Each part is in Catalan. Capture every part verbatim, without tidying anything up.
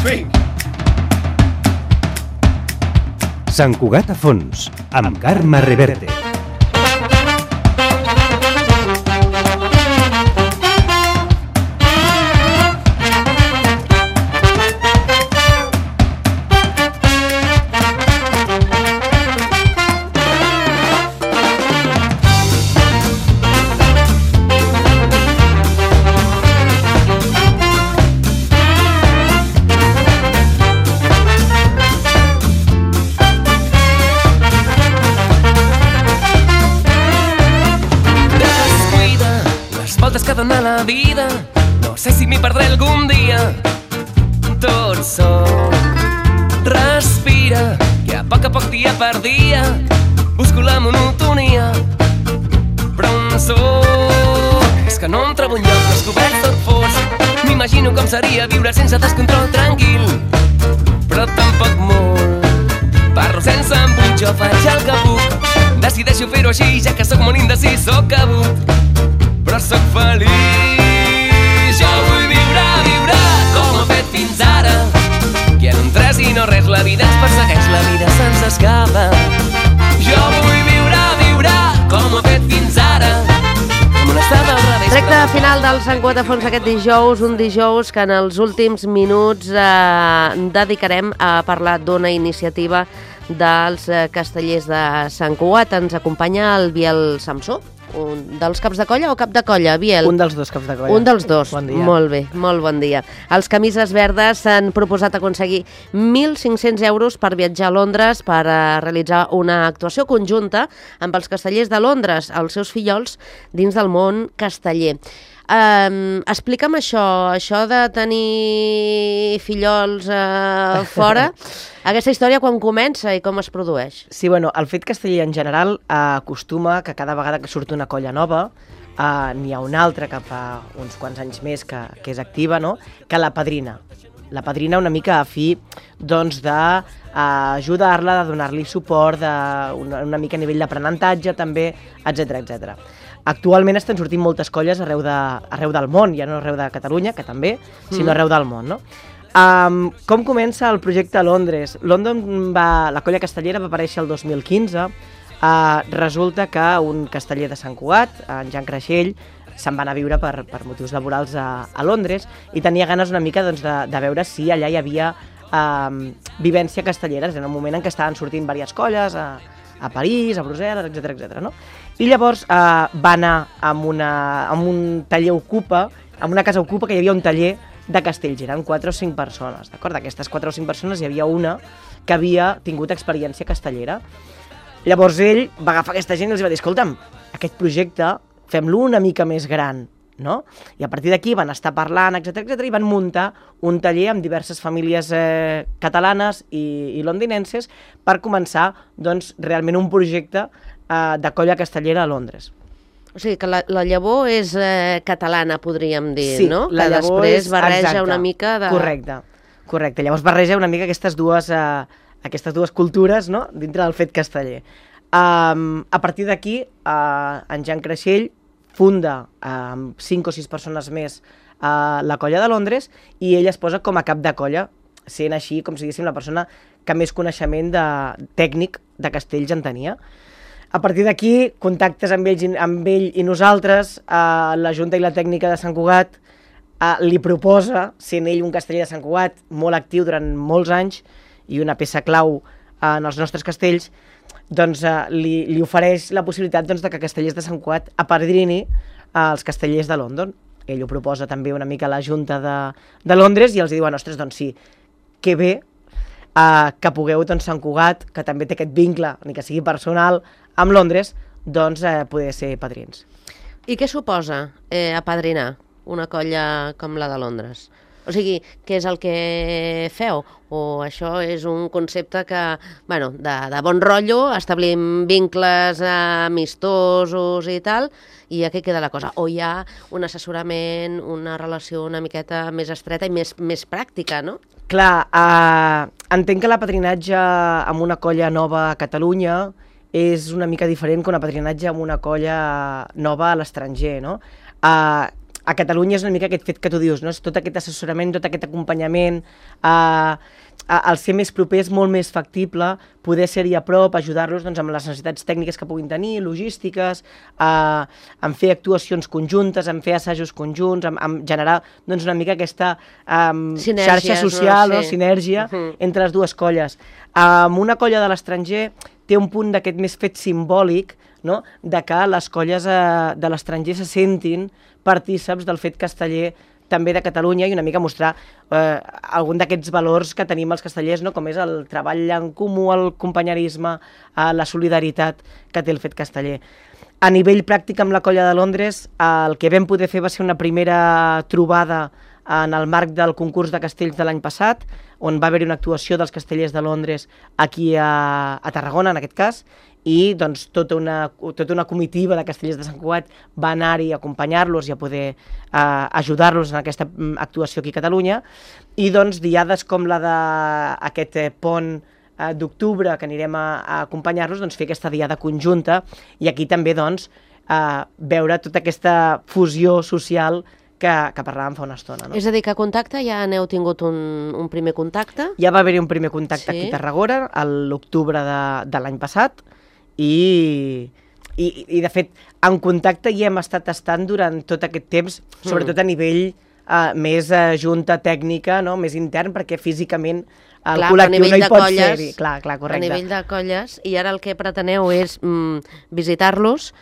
Vinga. Sant Cugat a fons, amb Carme Reverte. La vida, no sé si m'hi perdré algun dia. Tot sol, respira, que a poc a poc, dia per dia, busco la monotonia. Però on soc? És que no em trobo enlloc, descobert tot fos. M'imagino com seria viure sense descontrol, tranquil, però tampoc molt. Parlo sense embut, jo faig el que puc. Decideixo fer-ho així, ja que sóc molt indecis, sóc cabut, però sóc feliç. Jo vull viure, viure com ho he fet fins ara, que en un tres i no res la vida ens persegueix, la vida se'ns escapa. Jo vull viure, viure com ho he fet fins ara, com un estat al revés. Recte final del Sant Cugat a fons aquest dijous, un dijous que en els últims minuts eh, dedicarem a parlar d'una iniciativa dels eh, castellers de Sant Cugat. Ens acompanya el Biel Samsó. Un dels caps de colla o cap de colla, Biel? Un dels dos caps de colla. Un dels dos. Bon dia. Molt bé, molt bon dia. Els Camises Verdes s'han proposat aconseguir mil cinc-cents euros per viatjar a Londres per a realitzar una actuació conjunta amb els castellers de Londres, els seus fillols, dins del món casteller. Um, explica'm això, això de tenir fillols uh, fora, aquesta història quan comença i com es produeix? Sí, bueno, el fet casteller en general uh, acostuma que cada vegada que surt una colla nova uh, n'hi ha una altra que fa uns quants anys més que, que és activa, no? Que la padrina. La padrina una mica a fi doncs, d'ajudar-la, de donar-li suport, de una, una mica a nivell d'aprenentatge també, etcètera, etcètera. Actualment estan sortint moltes colles arreu, de, arreu del món, ja no arreu de Catalunya, que també, sinó arreu del món, no? Um, com comença el projecte a Londres? London va, la colla castellera va aparèixer el dos mil quinze. Uh, resulta que un casteller de Sant Cugat, en Jan Creixell, se'n va anar a viure per, per motius laborals a, a Londres i tenia ganes una mica doncs, de, de veure si allà hi havia um, vivència castellera. En un moment en què estaven sortint diverses colles a, a París, a Brussel·les, etcètera, etcètera, no? I llavors eh, va anar amb, una, amb un taller ocupa, amb una casa ocupa que hi havia un taller de castells, eren quatre o cinc persones, d'acord? D'aquestes quatre o cinc persones hi havia una que havia tingut experiència castellera. Llavors ell va agafar aquesta gent i els va dir, escolta'm, aquest projecte fem-lo una mica més gran, no? I a partir d'aquí van estar parlant, etcètera, etcètera, i van muntar un taller amb diverses famílies eh, catalanes i, i londinenses per començar doncs, realment un projecte eh, de colla castellera a Londres. O sigui que la, la llavor és eh, catalana, podríem dir, sí, no? La que després és, barreja exacte, una mica de... Correcte, correcte. Llavors barreja una mica aquestes dues, eh, aquestes dues cultures, no? Dintre del fet casteller. Um, a partir d'aquí, uh, en Jan Creixell funda amb uh, cinc o sis persones més uh, la colla de Londres i ell es posa com a cap de colla, sent així, com si diguéssim, la persona que més coneixement de, tècnic de castells en tenia. A partir d'aquí, contactes amb, ells, amb ell i nosaltres, uh, la Junta i la Tècnica de Sant Cugat uh, li proposa, sent ell un casteller de Sant Cugat molt actiu durant molts anys i una peça clau uh, en els nostres castells, doncs uh, li, li ofereix la possibilitat doncs, de que Castellers de Sant Cugat apadrini uh, els castellers de London. Ell ho proposa també una mica a la Junta de, de Londres i els diuen, ostres, doncs sí, que bé uh, que pugueu, doncs, Sant Cugat, que també té aquest vincle, ni que sigui personal, amb Londres, doncs uh, poder ser padrins. I què suposa eh, apadrinar una colla com la de Londres? O sigui, què és el que feu? O això és un concepte que, bueno, de, de bon rotllo, establim vincles amistosos i tal, i a què queda la cosa? O hi ha un assessorament, una relació una miqueta més estreta i més, més pràctica, no? Clar, eh, entenc que l'apadrinatge amb una colla nova a Catalunya és una mica diferent que un apadrinatge amb una colla nova a l'estranger, no? Eh, a Catalunya és una mica aquest fet que tu dius, no? És tot aquest assessorament, tot aquest acompanyament, eh, al ser més propers, molt més factible, poder ser-hi a prop, ajudar-los doncs, amb les necessitats tècniques que puguin tenir, logístiques, eh, en fer actuacions conjuntes, en fer assajos conjunts, en, en generar doncs, una mica aquesta eh, xarxa social, no? Sí. Sinergia uh -huh. entre les dues colles. Amb una colla de l'estranger té un punt d'aquest més fet simbòlic, no? De que les colles eh, de l'estranger se sentin partíceps del fet casteller també de Catalunya i una mica mostrar eh, algun d'aquests valors que tenim els castellers, no? Com és el treball en comú, el companyerisme, eh, la solidaritat que té el fet casteller. A nivell pràctic amb la colla de Londres, eh, el que vam poder fer va ser una primera trobada en el marc del concurs de castells de l'any passat, on va haver-hi una actuació dels castellers de Londres aquí a, a Tarragona, en aquest cas, i doncs, tota, una, tota una comitiva de castellers de Sant Cugat va anar-hi a acompanyar-los i a poder eh, ajudar-los en aquesta actuació aquí a Catalunya. I doncs, diades com la d'aquest eh, pont eh, d'octubre, que anirem a, a acompanyar-los, doncs, fer aquesta diada conjunta i aquí també doncs, eh, veure tota aquesta fusió social que, que parlàvem fa una estona. No? És a dir, que a contacte ja n'heu tingut un, un primer contacte? Ja va haver-hi un primer contacte sí. aquí a Tarragona, a l'octubre de, de l'any passat, I, i, i de fet en contacte hi hem estat estant durant tot aquest temps, sobretot a nivell uh, més uh, junta tècnica, no? Més intern, perquè físicament el clar, col·lectiu no hi pot ser-hi. Clar, clar, correcte. A nivell de colles, i ara el que preteneu és mm, visitar-los,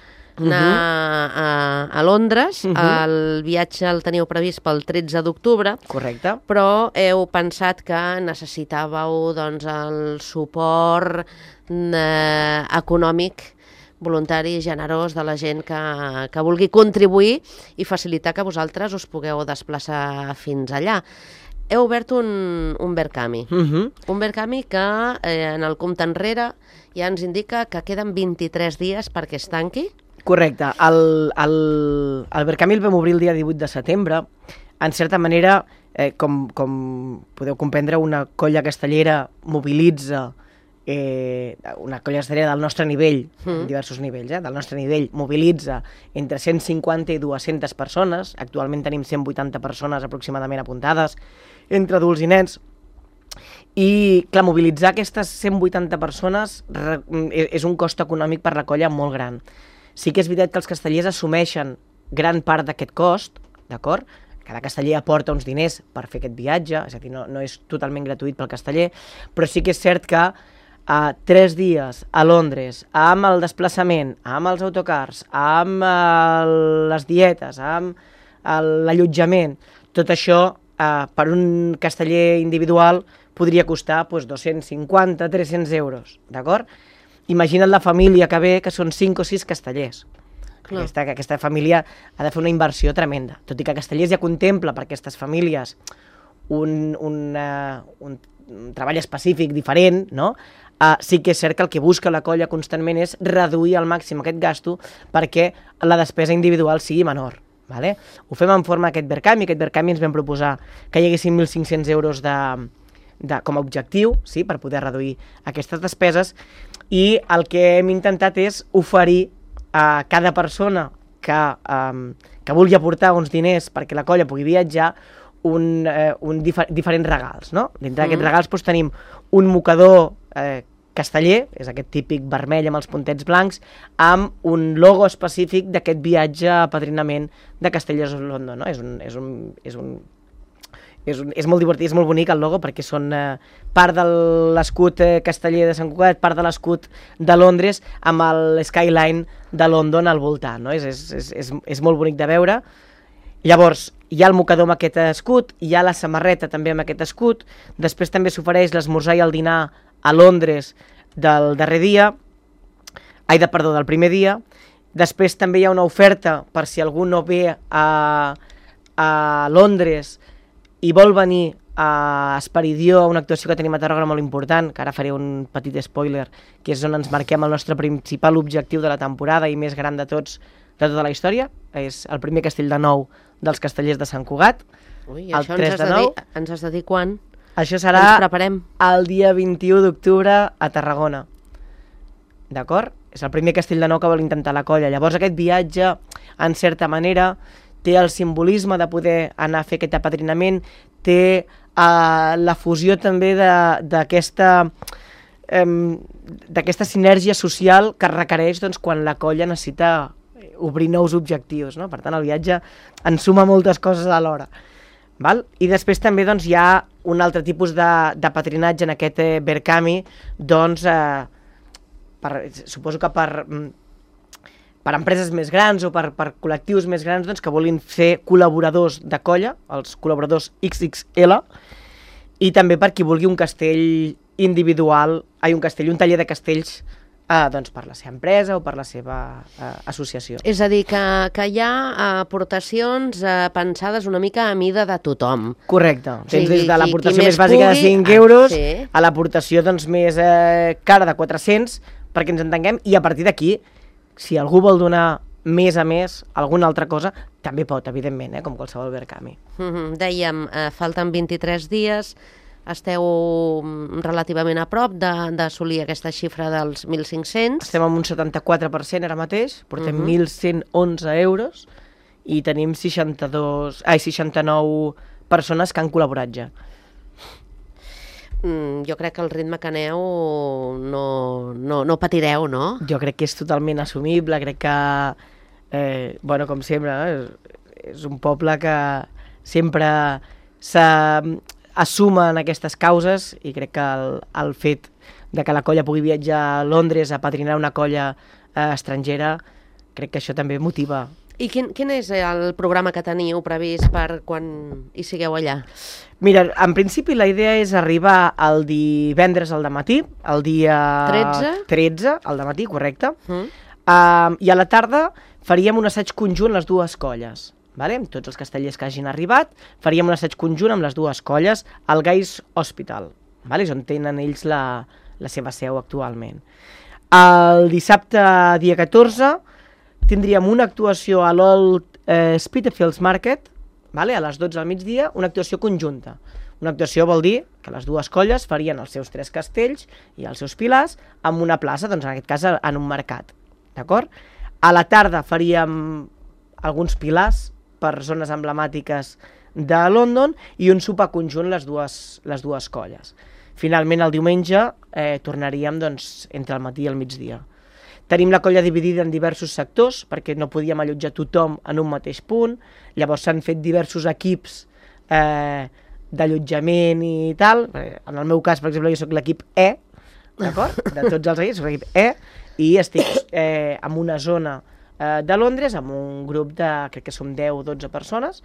anar uh -huh. a, a Londres, uh -huh. el viatge el teniu previst pel tretze d'octubre, correcte, però heu pensat que necessitàveu doncs, el suport eh, econòmic, voluntari, generós de la gent que, que vulgui contribuir i facilitar que vosaltres us pugueu desplaçar fins allà. Heu obert un, un Verkami, uh -huh. un Verkami que eh, en el compte enrere ja ens indica que queden vint-i-tres dies perquè es tanqui. Correcte. El, el, el Verkami el vam obrir el dia divuit de setembre. En certa manera, eh, com, com podeu comprendre, una colla castellera mobilitza, eh, una colla castellera del nostre nivell, mm. en diversos nivells, eh, del nostre nivell, mobilitza entre cent cinquanta i dues-centes persones. Actualment tenim cent vuitanta persones aproximadament apuntades, entre adults i nens. I, clar, mobilitzar aquestes cent vuitanta persones és un cost econòmic per la colla molt gran. Sí que és veritat que els castellers assumeixen gran part d'aquest cost, d'acord? Cada casteller aporta uns diners per fer aquest viatge, és a dir, no, no és totalment gratuït pel casteller, però sí que és cert que uh, tres dies a Londres, amb el desplaçament, amb els autocars, amb uh, les dietes, amb uh, l'allotjament, tot això uh, per un casteller individual podria costar pues, dos-cents cinquanta a tres-cents euros, d'acord? Imagina't la família que ve, que són cinc o sis castellers. Aquesta, aquesta família ha de fer una inversió tremenda. Tot i que Castellers ja contempla per aquestes famílies un, un, uh, un, un treball específic diferent, no? Uh, sí que és cert que el que busca la colla constantment és reduir al màxim aquest gasto perquè la despesa individual sigui menor. Vale? Ho fem en forma d'aquest Verkami. Aquest Verkami ens vam proposar que hi haguessin mil cinc-cents euros de, de, com a objectiu, sí, per poder reduir aquestes despeses. I el que hem intentat és oferir a cada persona que, um, que vulgui aportar uns diners perquè la colla pugui viatjar un, eh, un difer diferents regals. No? Dintre d'aquests mm. regals doncs, tenim un mocador eh, casteller, és aquest típic vermell amb els puntets blancs, amb un logo específic d'aquest viatge a apadrinament de Castellers of London. No? És un... És un, és un És, un, és molt divertit, és molt bonic el logo perquè són eh, part de l'escut eh, casteller de Sant Cugat, part de l'escut de Londres amb el skyline de London al voltant, no? és, és, és, és, és molt bonic de veure. Llavors, hi ha el mocador amb aquest escut, hi ha la samarreta també amb aquest escut, després també s'ofereix l'esmorzar i el dinar a Londres del darrer dia, ai, de, perdó, del primer dia, després també hi ha una oferta per si algú no ve a, a Londres i vol venir a Esperidió, a una actuació que tenim a Tarragona molt important, que ara faré un petit spoiler, que és on ens marquem el nostre principal objectiu de la temporada i més gran de tots, de tota la història, és el primer castell de nou dels castellers de Sant Cugat. Ui, el això tres ens has, de dir, ens has de dir quan? Això serà el dia vint-i-u d'octubre a Tarragona. D'acord? És el primer castell de nou que vol intentar la colla. Llavors aquest viatge, en certa manera, té el simbolisme de poder anar a fer aquest apadrinament, té uh, la fusió també d'aquesta um, d'aquesta sinergia social que requereix doncs, quan la colla necessita obrir nous objectius, no? Per tant, el viatge ensuma moltes coses alhora. Val? I després també doncs, hi ha un altre tipus de, de patrinatge en aquest eh, Berkami, doncs, eh, per, suposo que per, per empreses més grans o per, per col·lectius més grans doncs, que vulguin fer col·laboradors de colla, els col·laboradors X X L, i també per qui vulgui un castell individual, ai, un castell, un taller de castells Uh, doncs per la seva empresa o per la seva uh, associació. És a dir, que, que hi ha aportacions uh, pensades una mica a mida de tothom. Correcte. Tens Sí, des de qui- l'aportació qui més més bàsica de pugui, cinc ah, euros sí. a l'aportació doncs, més eh, cara de quatre-cents, perquè ens entenguem, i a partir d'aquí, si algú vol donar més a més, alguna altra cosa, també pot, evidentment, eh, com qualsevol Berkami. Mm-hmm. Dèiem, uh, falten vint-i-tres dies, esteu relativament a prop d'assolir aquesta xifra dels mil cinc-cents. Estem amb un setanta-quatre per cent ara mateix, portem Mhm. mil cent onze euros i tenim seixanta-dos, ai, seixanta-nou persones que han col·laborat ja. Mm, jo crec que el ritme que aneu no, no, no patireu, no? Jo crec que és totalment assumible, crec que, eh, bueno, com sempre, eh, és un poble que sempre s'assumen aquestes causes i crec que el, el fet de que la colla pugui viatjar a Londres a patrinar una colla eh, estrangera, crec que això també motiva. I quin, quin és el programa que teniu previst per quan hi sigueu allà? Mira, en principi la idea és arribar el divendres al dematí, el dia tretze? tretze, al dematí, correcte, Mm? uh, i a la tarda faríem un assaig conjunt les dues colles, vale? Amb tots els castellers que hagin arribat, faríem un assaig conjunt amb les dues colles al Guy's Hospital, vale? És on tenen ells la, la seva seu actualment. El dissabte, dia catorze, tindríem una actuació a l'Old eh, Spitalfields Market, vale? A les dotze del migdia, una actuació conjunta. Una actuació vol dir que les dues colles farien els seus tres castells i els seus pilars en una plaça, doncs en aquest cas en un mercat. D'acord? A la tarda faríem alguns pilars per zones emblemàtiques de London i un sopar conjunt les dues, les dues colles. Finalment, el diumenge, eh, tornaríem doncs, entre el matí i el migdia. Tenim la colla dividida en diversos sectors, perquè no podíem allotjar tothom en un mateix punt, llavors s'han fet diversos equips eh, d'allotjament i tal. En el meu cas, per exemple, jo soc l'equip E, d'acord? De tots els equips, soc l'equip E, i estic eh, en una zona eh, de Londres, amb un grup de, crec que som deu o dotze persones,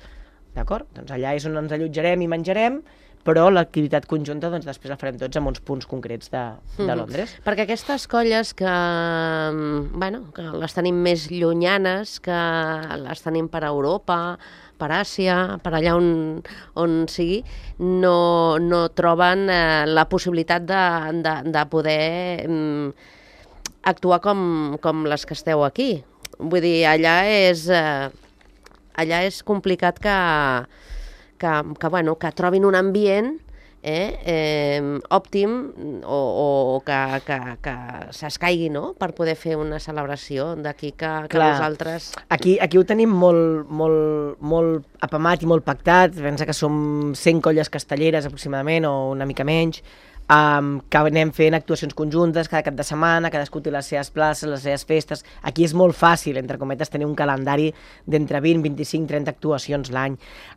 d'acord? Doncs allà és on ens allotjarem i menjarem, però l'activitat conjunta doncs, després la farem tots en uns punts concrets de, de Londres. Mm. Perquè aquestes colles que, bueno, que les tenim més llunyanes, que les tenim per Europa, per Àsia, per allà on, on sigui, no, no troben eh, la possibilitat de, de, de poder mm, actuar com, com les que esteu aquí. Vull dir, allà és, eh, allà és complicat que... Que, que, bueno, que trobin un ambient eh, eh, òptim o, o que, que, que s'escaigui, no?, per poder fer una celebració d'aquí que, que Clar. nosaltres... Aquí, aquí ho tenim molt, molt, molt apamat i molt pactat. Pensa que som cent colles castelleres aproximadament o una mica menys, um, que anem fent actuacions conjuntes cada cap de setmana, cadascú té les seves places, les seves festes. Aquí és molt fàcil, entre cometes, tenir un calendari d'entre vint, vint-i-cinc, trenta actuacions l'any.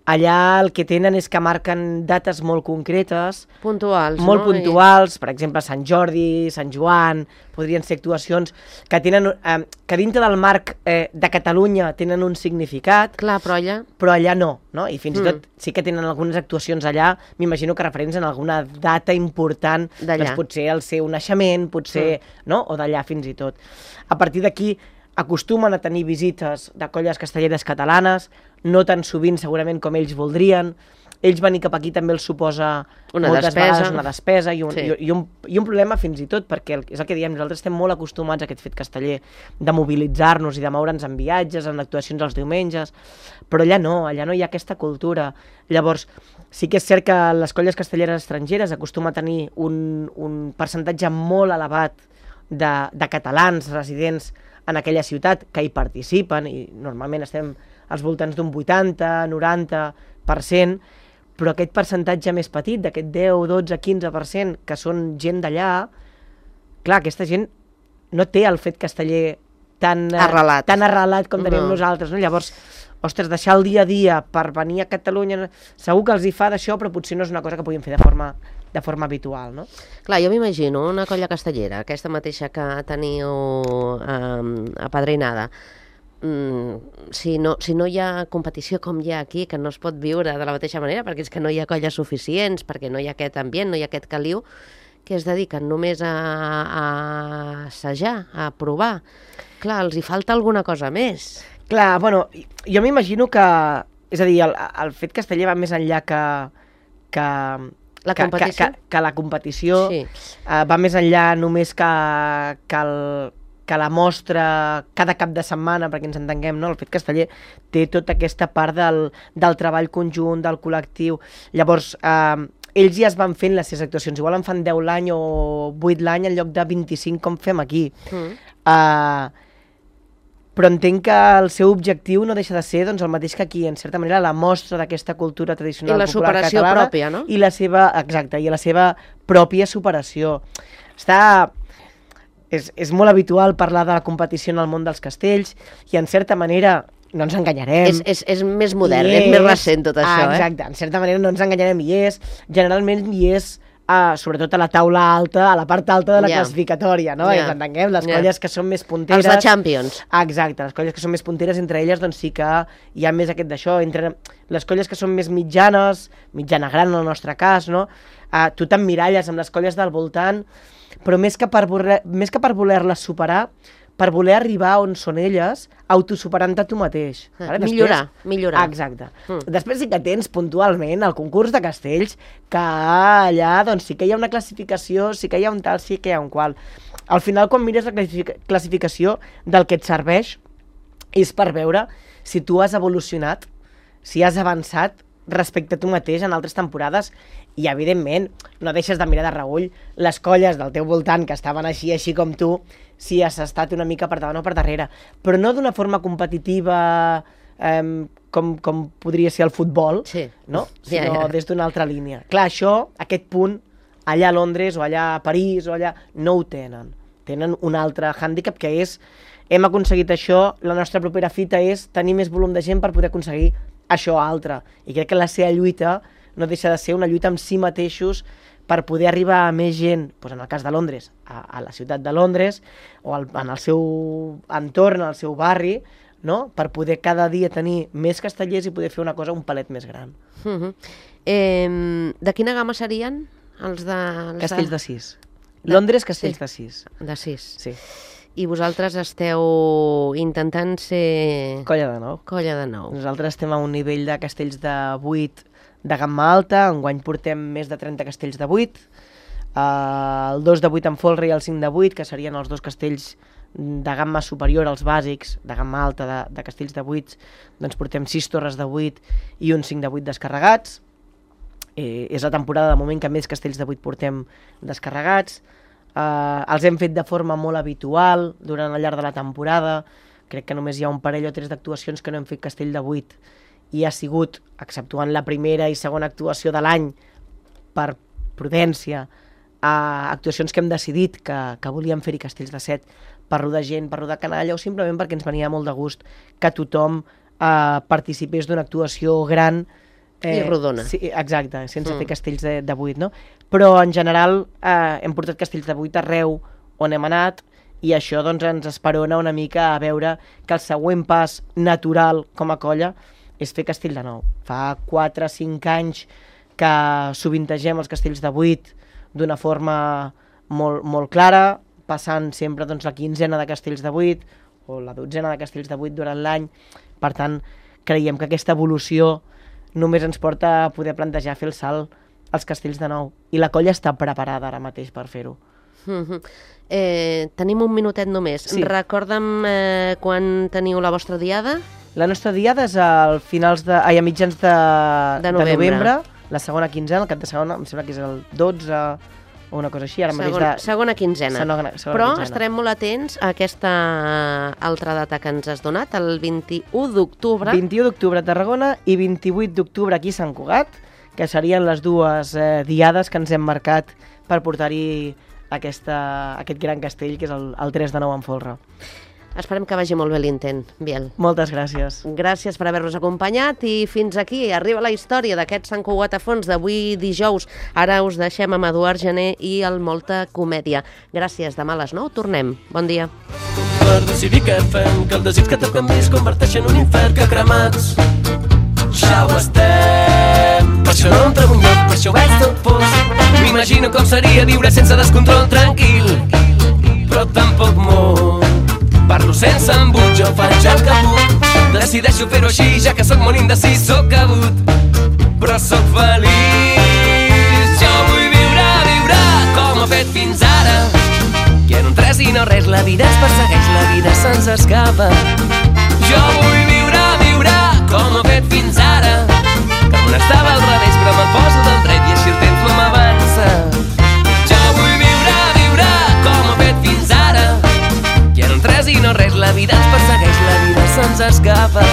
Allà el que tenen és que marquen dates molt concretes, Puntuals, molt no? puntuals, per exemple, Sant Jordi, Sant Joan, podrien ser actuacions que tenen, eh, que dintre del marc eh, de Catalunya tenen un significat, I, clar, però allà... però allà no, no? I fins Mm. i tot sí que tenen algunes actuacions allà, m'imagino que referents en alguna data important, D'allà. doncs potser el seu naixement, potser, no? O d'allà fins i tot. A partir d'aquí acostumen a tenir visites de colles castelleres catalanes, no tan sovint segurament com ells voldrien. Ells venir cap aquí també els suposa Una moltes despesa. vegades una despesa i un, Sí. i, i, un, i un problema fins i tot, perquè el, és el que diem, nosaltres estem molt acostumats a aquest fet casteller de mobilitzar-nos i de moure'ns en viatges, en actuacions els diumenges, però allà no, allà no hi ha aquesta cultura. Llavors, sí que és cert que les colles castelleres estrangeres acostumen a tenir un, un percentatge molt elevat de, de catalans residents en aquella ciutat que hi participen, i normalment estem als voltants d'un vuitanta, noranta per cent, però aquest percentatge més petit, d'aquest deu, dotze, quinze per cent, que són gent d'allà, clar, aquesta gent no té el fet casteller tan arrelat, tan arrelat com tenim no. nosaltres, no? Llavors, ostres, deixar el dia a dia per venir a Catalunya, segur que els hi fa d'això, però potser no és una cosa que puguin fer de forma, de forma habitual, no? Clar, jo m'imagino una colla castellera, aquesta mateixa que teniu eh, apadrinada, mm, si, no, si no hi ha competició com hi ha aquí, que no es pot viure de la mateixa manera, perquè és que no hi ha colles suficients, perquè no hi ha aquest ambient, no hi ha aquest caliu, que es dediquen només a, a assajar, a provar. Clar, els hi falta alguna cosa més. Clar, bueno, jo m'imagino que... És a dir, el, el fet casteller va més enllà que... que La competició? Que, que, que la competició Sí. uh, va més enllà només que, que, el, que la mostra cada cap de setmana, perquè ens entenguem, no? El fet casteller té tota aquesta part del, del treball conjunt, del col·lectiu. Llavors, uh, ells ja es van fent les seves actuacions. Igual en fan deu l'any o vuit l'any en lloc de vint-i-cinc com fem aquí. Mm. Uh, però entenc que el seu objectiu no deixa de ser doncs, el mateix que aquí, en certa manera, la mostra d'aquesta cultura tradicional I la popular superació catalana, pròpia, no? I la seva, exacte, i la seva pròpia superació. Està... És, és molt habitual parlar de la competició en el món dels castells i, en certa manera, no ens enganyarem. És, és, és més modern, és, és més recent tot això, ah, exacte, eh? En certa manera no ens enganyarem, i és, generalment hi és, uh, sobretot a la taula alta, a la part alta de la yeah. classificatòria, no? Yeah. I ens entenguem, les yeah. colles que són més punteres... Els de Champions. Ah, exacte, les colles que són més punteres, entre elles, doncs sí que hi ha més aquest d'això, entre les colles que són més mitjanes, mitjana gran en el nostre cas, no? Uh, tu t'emmiralles amb les colles del voltant, però més que per voler, més que per voler-les superar, per voler arribar on són elles, autosuperant-te tu mateix. Ah, vale? Millorar, Després, millorar. Exacte. Mm. Després sí que tens puntualment el concurs de castells, que allà doncs, sí que hi ha una classificació, sí que hi ha un tal, sí que hi ha un qual. Al final, quan mires la classificació, del que et serveix és per veure si tu has evolucionat, si has avançat respecte a tu mateix en altres temporades, i evidentment no deixes de mirar de reull les colles del teu voltant que estaven així, així com tu, si has estat una mica per davant o per darrere, però no d'una forma competitiva eh, com, com podria ser el futbol, sí. no? Sinó ja, ja. des d'una altra línia. Clar, això, aquest punt, allà a Londres o allà a París o allà, no ho tenen. Tenen un altre hàndicap que és, hem aconseguit això, la nostra propera fita és tenir més volum de gent per poder aconseguir això altre. I crec que la seva lluita no deixa de ser una lluita amb si mateixos per poder arribar a més gent, doncs en el cas de Londres, a, a la ciutat de Londres, o al, en el seu entorn, al seu barri, no? Per poder cada dia tenir més castellers i poder fer una cosa un palet més gran. Uh-huh. eh, de quina gamma serien els de... Els Castells de... de sis. Londres, castells sí. de sis. De sis. Sí. I vosaltres esteu intentant ser... Colla de nou. Colla de nou. Nosaltres estem a un nivell de castells de vuit de gamma alta, enguany portem més de trenta castells de vuit, uh, el dos de vuit en folre i el cinc de vuit, que serien els dos castells de gamma superior als bàsics, de gamma alta de, de castells de vuit, doncs portem sis torres de vuit i un cinc de vuit descarregats. Eh, és la temporada de moment que més castells de vuit portem descarregats. Uh, els hem fet de forma molt habitual durant el llarg de la temporada. Crec que només hi ha un parell o tres d'actuacions que no hem fet castell de vuit, i ha sigut, exceptuant la primera i segona actuació de l'any, per prudència, a actuacions que hem decidit que, que volíem fer-hi castells de set per rodar gent, per rodar canalla, o simplement perquè ens venia molt de gust que tothom eh, participés d'una actuació gran. Eh, I rodona. Sí, exacte, sense mm. fer castells de, de vuit, no? Però en general eh, hem portat castells de vuit arreu on hem anat, i això doncs, ens esperona una mica a veure que el següent pas natural com a colla és fer castell de nou. Fa quatre o cinc anys que sovintegem els castells de vuit d'una forma molt, molt clara, passant sempre doncs, la quinzena de castells de vuit o la dotzena de castells de vuit durant l'any. Per tant, creiem que aquesta evolució només ens porta a poder plantejar fer el salt als castells de nou. I la colla està preparada ara mateix per fer-ho. Mm-hmm. eh, tenim un minutet només. Sí. Recorda'm eh, quan teniu la vostra diada? La nostra diada és al finals de, ai, a mitjans de, de, novembre. de novembre, la segona quinzena, el cap de segona, em sembla que és el dotze o una cosa així. Ara Segon, mateix de... segona quinzena. Segona, segona Però quinzena. estarem molt atents a aquesta altra data que ens has donat, el vint-i-u d'octubre. vint-i-u d'octubre a Tarragona i vint-i-vuit d'octubre aquí a Sant Cugat, que serien les dues eh, diades que ens hem marcat per portar-hi aquesta, aquest gran castell, que és el, el tres de nou en folre. Esperem que vagi molt bé l'intent, Biel. Moltes gràcies. Gràcies per haver-nos acompanyat i fins aquí arriba la història d'aquest Sant Cugat a fons d'avui dijous. Ara us deixem amb Eduard Gené i el Molta Comèdia. Gràcies, demà a les nou tornem. Bon dia. Per decidir què fem, que el desig que toca amb mi es converteix en un infern que cremats ja ho estem. Per això no em trobo un lloc, per això ho veig tot fos. M'imagino com seria viure sense descontrol tranquil, però tampoc molt. Parlo sense embut, jo faig el que puc. Decideixo fer-ho així, ja que sóc molt indecis, sóc cabut, però sóc feliç. Jo vull viure, viure com he fet fins ara. Quiero un tres i no res, la vida ens persegueix, la vida se'ns escapa. Jo vull viure, viure com he fet fins ara. Que un estava al revés, però me'l poso del dret i així el temps no m'avança. Jo vull viure, viure com he fet fins ara. Quiero un tres i no res, la vida ens persegueix, la vida se'ns escapa.